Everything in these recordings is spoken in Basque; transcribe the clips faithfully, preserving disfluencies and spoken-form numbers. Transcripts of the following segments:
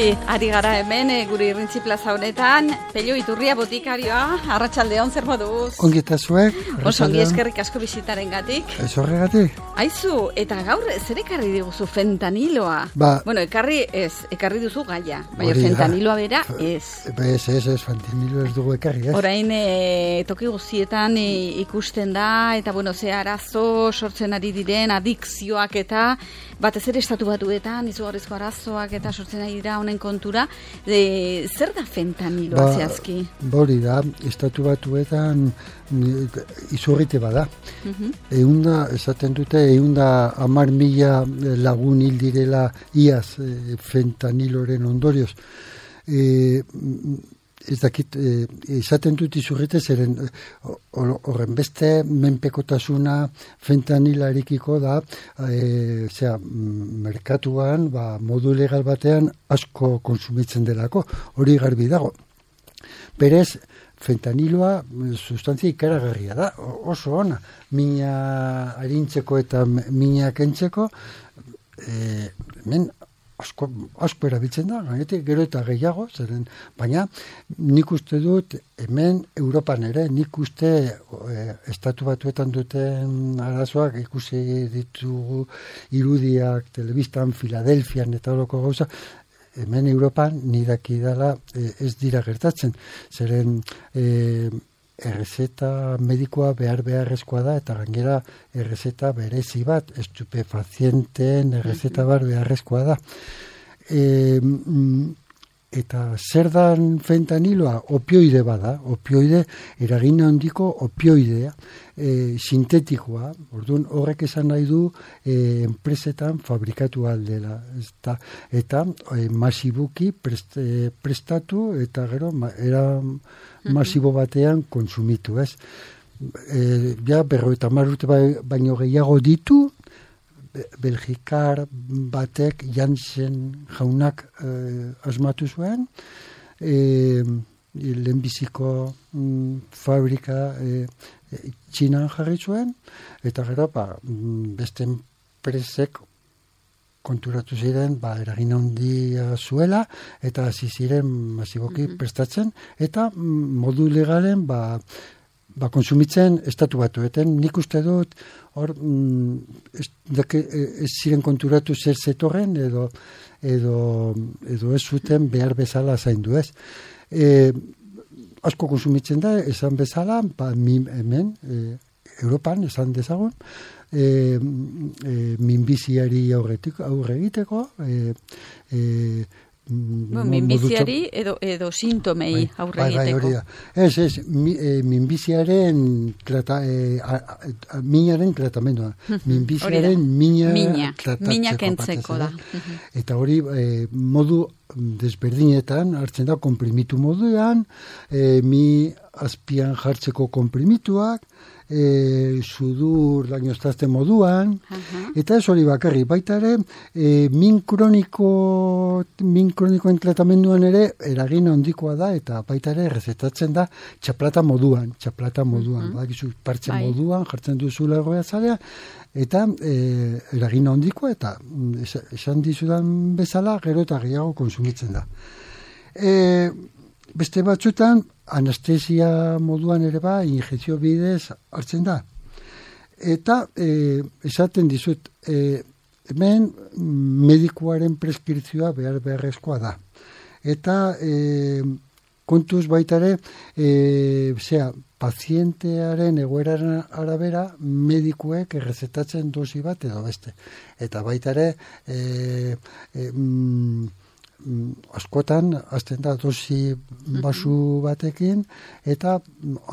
Ongi, ari gara hemen, e, gure Irrintzi plaza honetan, Pello Iturria botikarioa, arratsaldeon zer moduz? Ongi eta zuek? Oso ongi, eskerrik asko bizitaren gatik. Ez horregatik? Aizu, eta gaur zer ekarri diguzu fentaniloa? Ba, bueno, ekarri ez, ekarri duzu gaia, baina fentaniloa bera ez. Ez, ez, ez, fentanilo ez dugu ekarri, ez? Orain e, toki guztietan e, ikusten da, eta bueno, ze arazo sortzen ari diren, adikzioak eta batez ere estatu batuetan, izugarrizko arazoak eta sortzen ari dira honen kontura. E, zer da fentaniloa ba, zehazki? Bori da, estatu batuetan izurrite bada. Uh-huh. Eunda, esaten dute, eunda amar mila lagun hil direla iaz e, fentaniloren ondorioz. E, ez dakit, e, esaten dut izurrite zeren horren beste menpekotasuna fentanilarikiko da e, zera, merkatuan ba, modu legal batean asko konsumitzen delako, hori garbi dago. Berez, fentaniloa sustantzia ikaragarria da, oso ona, mina arintzeko eta mina kentzeko, e, men asko, asko erabiltzen da, gainetik gero eta gehiago, zeren, baina nik uste dut hemen Europan ere, nik uste e, estatu batuetan duten arazoak ikusi ditugu irudiak, telebistan, Filadelfian eta horoko gauza, hemen Europan nidaki dela e, ez dira gertatzen, zeren e, errezeta medikoa behar beharrezkoa da eta gainera errezeta berezi bat, estupefazienteen errezeta bar beharrezkoa da. E, eta zer dan fentaniloa? Opioide bada, opioide eragin handiko opioidea, e, sintetikoa, orduan horrek esan nahi du e, enpresetan fabrikatu aldela, eta, eta e, masibuki prest, e, prestatu eta gero ma, era masibo batean kontsumitu, ez? E, ja, berrogeita hamar urte baino gehiago ditu, Belgikar batek Janssen jaunak e, asmatu zuen, e, lehenbiziko mm, fabrika e, e, Txinan jarri zuen, eta gero ba, beste enpresek konturatu ziren, ba, eragin handia zuela, eta hasi ziren masiboki mm-hmm. prestatzen, eta modu legalen, ba, ba, konsumitzen estatu batuetan. Nik uste dut, hor, ez, dake, ez ziren konturatu zer zetorren, edo, edo, edo ez zuten behar bezala zaindu ez. E, asko konsumitzen da, esan bezala, ba, hemen, e, Europan, esan dezagun, E, e, minbiziari aurretik aurre egiteko e, e, no, minbiziari edo, edo sintomei aurre bai, egiteko bai, ez, ez, mi, e, minbiziaren trata, e, a, a, minaren tratamendua minbiziaren mina mina, mina kentzeko da eta hori e, modu desberdinetan hartzen da konprimitu moduan e, mi azpian jartzeko konprimituak E, sudur lainoztazte moduan, uh-huh. eta ez hori bakarri, baita ere, e, min kroniko, min kronikoen tratamenduan ere eragin handikoa da, eta baita ere rezetatzen da txaplata moduan, txaplata moduan, uh-huh. badakizu, partxe Ai. moduan, jartzen duzula erroia zalea, eta e, eragin handikoa, eta es, esan dizudan bezala, gero eta gehiago konsumitzen da. E, beste batzutan, anestesia moduan ere ba, injekzio bidez hartzen da. Eta e, esaten dizut, e, hemen medikuaren preskripzioa behar beharrezkoa da. Eta e, kontuz baita ere, e, zera, pazientearen egoeraren arabera medikuek errezetatzen dosi bat edo beste. Eta baita ere, e, e, mm, askotan hasten da dosi basu batekin eta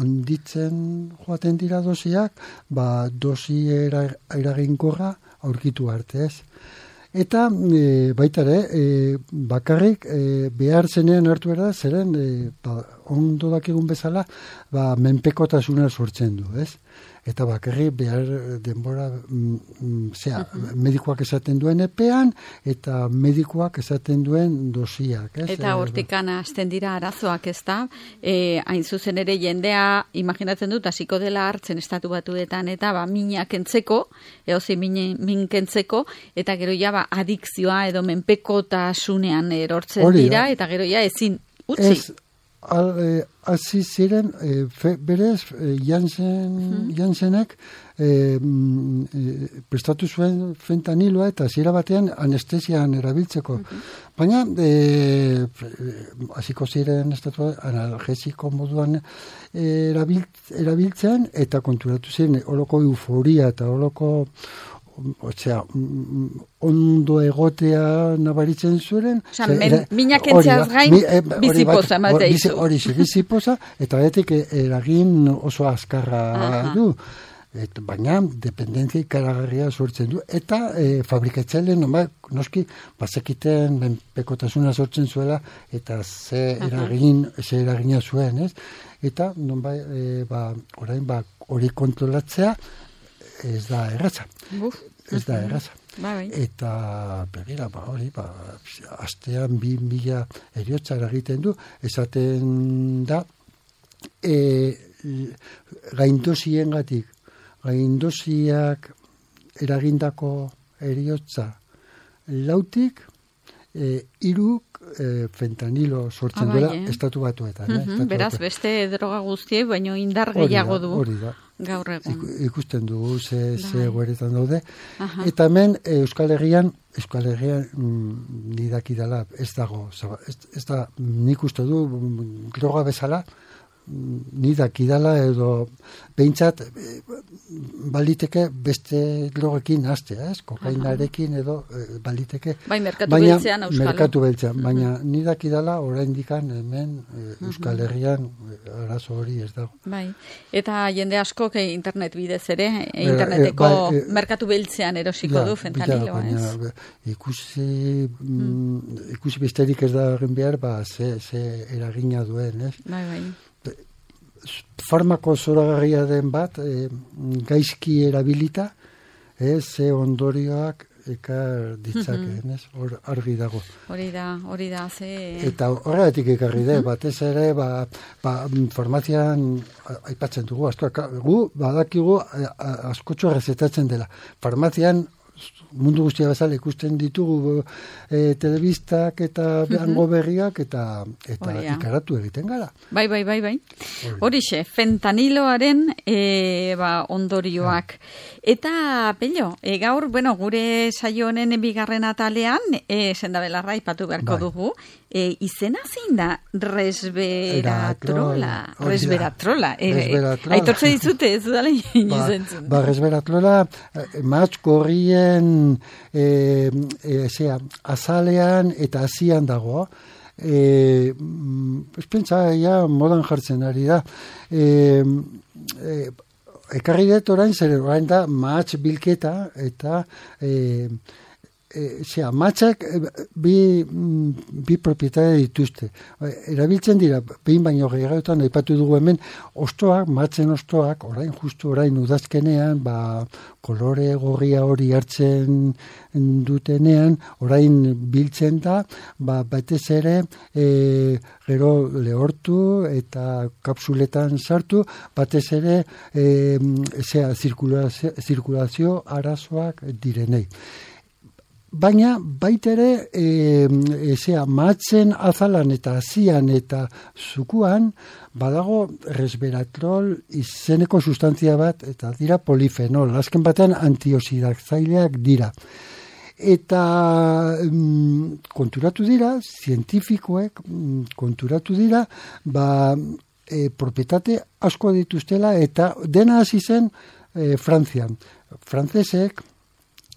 onditzen joaten dira dosiak, ba dosi eraginkorra aurkitu arte ez. Eta e, baita ere, e, bakarrik e, behar zenean hartu era, zeren e, ba, ondo dakigun bezala, ba, menpekotasuna sortzen du, ez? Eta bakarri behar denbora, mm, zera, uh-huh. medikoak esaten duen epean, eta medikoak esaten duen dosiak, ez? Eta hortikan hasten dira arazoak, ez da? E, hain zuzen ere jendea, imaginatzen dut, hasiko dela hartzen estatu batuetan, eta ba, minak entzeko, eozi min, min kentzeko, eta gero ja, ba, adikzioa edo menpekotasunean erortzen Hori, dira, eta gero ja, ezin utzi. Ez, Al, eh, hasi ziren, eh, fe, berez, eh, Jansen, uh-huh. Jansenek eh, eh, prestatu zuen fentaniloa eta hasiera batean anestesian erabiltzeko. Uh-huh. Baina, eh, hasiko ziren estatua analgesiko moduan eh, erabilt, erabiltzen eta konturatu ziren holoko euforia eta holoko Osea, ondo egotea nabaritzen zuren. Osa, minak entzeaz gain, e, bizipoza ematea izu. Hori, bizipoza, eta betik eragin oso azkarra Aha. du. Et, baina, dependentzia ikaragarria sortzen du. Eta e, fabrikatzaileen, no, noski, bazekiten menpekotasuna sortzen zuela, eta ze eragin, ze eragina zuen, ez? Eta, non bai, e, ba, orain, ba, hori kontrolatzea, ez da erraza. Buf. Ez da erraza. Ba, eta, begira, ba, hori, ba, astean bi mila eriotza egiten du, esaten da, e, gaindosien gatik, gaindosiak eragindako eriotza lautik, e, iruk e, fentanilo sortzen ah, duela eh? estatu batuetan. Uh-huh. eh? Estatu Beraz, batuetan. Beste droga guztie, baino indar gehiago du. Hori da. Gaur egun. Ikusten dugu ze, ze gueretan daude. Aha. Eta hemen Euskal Herrian, Euskal Herrian mm, nidaki dela, ez dago, ez, ez da nik uste du droga bezala, nidaki dela edo behintzat baliteke beste drogekin hastea, ez? Kokainarekin edo e, baliteke. Bai, merkatu beltzean euskalo. Merkatu beltzean, uh-huh. baina nidaki dela oraindikan hemen e, Euskal Herrian arazo hori ez dago. Bai, eta jende askok internet bidez ere, e, interneteko e, bai, e, merkatu beltzean erosiko ja, du fentaniloa, ez? Baina, ikusi, mm. ikusi besterik ez da egin behar, ba, ze, ze eragina duen, ez? Bai, bai. Farmako zoragarria den bat, e, gaizki erabilita, e, ze ondorioak ekar ditzakeen, ez? Hor argi dago. Hori da, hori da, ze... Eta horregatik ekarri de, batez ere, ba, ba, farmazian aipatzen dugu, asko, gu, badakigu, askotxo errezetatzen dela. Farmazian, mundu guztia bezala ikusten ditugu e, telebistak eta hango berriak eta eta Oria. Ikaratu egiten gara. Bai, bai, bai, bai. Horixe, fentaniloaren e, ba, ondorioak. Ja. Eta, Pello, e, gaur, bueno, gure saio honen bigarren atalean, e, sendabelarra ipatu beharko bai. dugu, e, izena zein da resveratrola. Resveratrola. E, resveratrola. Aitortze dizute, ez dala izentzun. Ba, ba resveratrola, matxko horrien e, e, zera, azalean eta azian dago. E, ez pentsa, ja, modan jartzen ari da. E, e, ekarri dut orain, zer orain da, matx bilketa eta e, e, zera, matxak bi, bi propietatea dituzte. Erabiltzen dira, behin baino gehiagotan, aipatu dugu hemen, ostoak, matxen ostoak, orain, justu orain udazkenean, ba, kolore gorria hori hartzen dutenean, orain biltzen da, ba, batez ere, e, gero lehortu eta kapsuletan sartu, batez ere, e, zera, zirkulazio, zirkulazio arazoak direnei. Baina, baitere, e, e, zera, matzen azalan eta azian eta zukuan, badago resveratrol izeneko sustantzia bat, eta dira polifenol, azken batean antioxidatzaileak dira. Eta mm, konturatu dira, zientifikoek mm, konturatu dira, ba, e, propietate asko dituztela, eta dena hasi zen e, Frantzian. Frantzesek,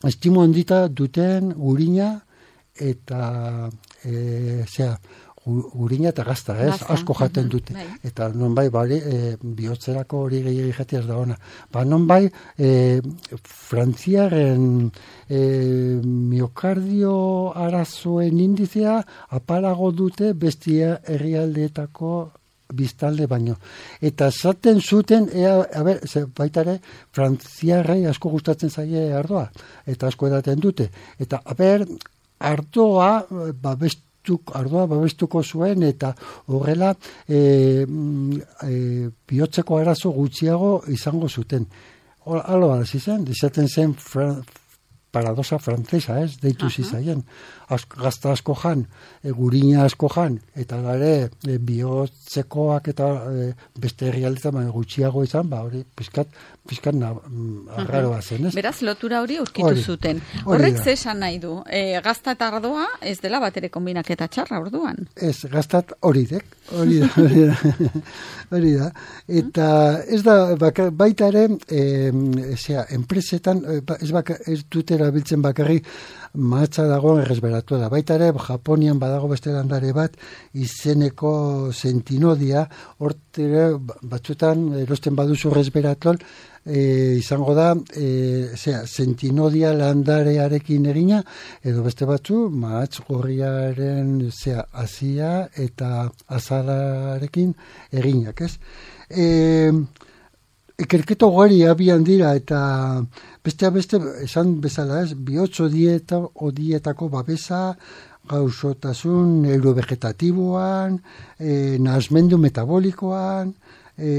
estimo handita duten gurina eta e, zera, gurina eta gazta, ez? Gazta. Asko jaten dute. Bai. Eta non bai, bari, e, bihotzerako hori gehiagik jatea ez da ona. Ba, non bai, e, Frantziaren e, miokardio arazoen indizea apalago dute bestia herrialdeetako biztalde baino. Eta zaten zuten, ea, a ber, ze, baita ere, frantziarrei asko gustatzen zaie ardoa, eta asko edaten dute. Eta, a ber, ardoa, babestuk, ardoa babestuko zuen, eta horrela, e, e, bihotzeko arazo gutxiago izango zuten. Halo hasi zen, izaten zen fra, paradosa frantzesa, ez, deitu zizaien. Gazta asko jan, e, gurina asko jan, eta gare e, bihotzekoak eta e, beste herrialdetan baina gutxiago izan, ba hori pizkat, pizkat na, arraroa zen, ez? Beraz, lotura hori aurkitu hori, zuten. Horrek ze esan nahi du? E, gazta eta ardoa ez dela batere kombinaketa txarra orduan? Ez, gaztat hori dek, hori da, hori da, hori da. Eta ez da, baka, baita ere, e, zera, enpresetan, ez, baka, ez dutera biltzen bakarri, mahatza dagoen erresberatu da. Baita ere, Japonian badago beste landare bat, izeneko sentinodia, hortere batzutan erosten baduzu erresberatlol, e, izango da, e, zera, sentinodia landarearekin egina, edo beste batzu, mahatz gorriaren, zera, azia eta azalarekin eginak, ez? E, Ikerketo gari abian dira eta bestea beste esan bezala ez, bihotzo dieta odietako babesa, gauzotasun neurovegetatiboan, e, nahasmendu metabolikoan, e,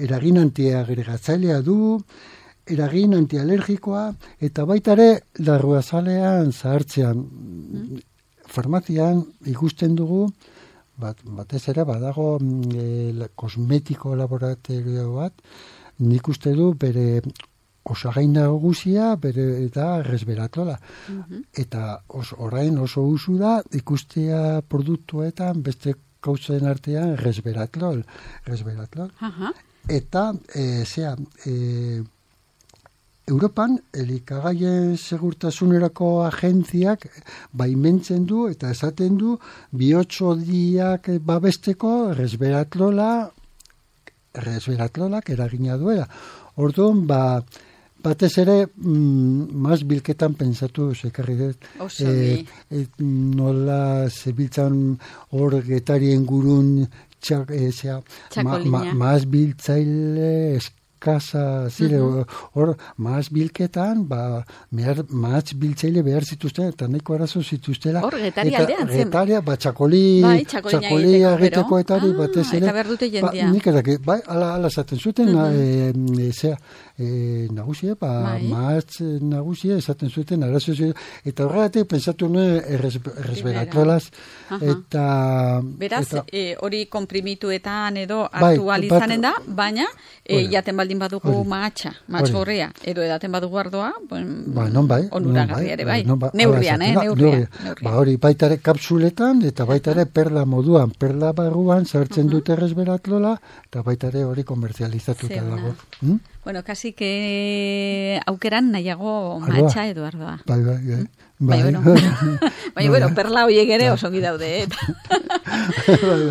eragin antiagregatzailea du, eragin antialergikoa, eta baita ere larruazalean zahartzean. Mm. Farmazian ikusten dugu, bat, batez ere badago e, kosmetiko laboratorio bat, nik uste du bere osagai nagusia bere eta resveratrola. Mm-hmm. Eta os, orain oso usu da ikustea produktuetan beste gauzen artean resveratrol. resveratrol. Uh-huh. Eta, e, zera, e, Europan, elikagaien segurtasunerako agentziak baimentzen du eta esaten du bihotzodiak babesteko resveratrola resveratrolak eragina duela. Orduan, ba, batez ere, mm, maz bilketan pensatu zekarri dut. E, e, nola zebiltzan hor getarien gurun txak, e, zea, ma, ma, maz biltzaile eskasa zire, uh-huh. hor, maz bilketan, ba, mehar, maz biltzaile behar zituzten, eta nahiko arazo zituztela. Hor, getari aldean zen. Getaria, ba, txakoli, bai, txakoli egiteko eta hori, ah, batez ere. Eta behar dute jendia. Ba, nik edaki, bai, ala, ala zaten zuten, uh-huh. e, e, zea, e, nagusia, ba, bai. Maz nagusia esaten zuten, arazo zuten, eta horregatik pensatu nuen erresberatrolaz, uh-huh. eta... Beraz, hori eta, komprimituetan edo hartu bai, alizanen da, baina, e, jaten baldin badugu mahatxa, mahatx gorria, edo edaten badugu ardoa, bon, ba, non bai, onuragarri ere bai, non bai, neurrian, eh, neurrian. Ba, hori, baitare kapsuletan, eta baitare perla moduan, perla barruan, sartzen uh-huh. dute resveratrola, eta baitare hori komerzializatuta dago. Hmm? Bueno, kasi que aukeran nahiago mahatxa edo ardoa. Bai, bai, bai. Bai, bueno, bai, bueno, perla horiek ere osongi daude, eh?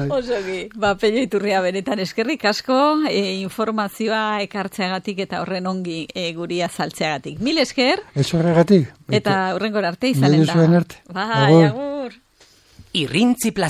Osongi. Ba, Pello Iturria benetan eskerrik asko, e, informazioa ekartzeagatik eta horren ongi e, guri azaltzeagatik. Mil esker. Ez horregatik. Eta horrengor arte izanen da. Bai, agur. Irrintzi Plaza.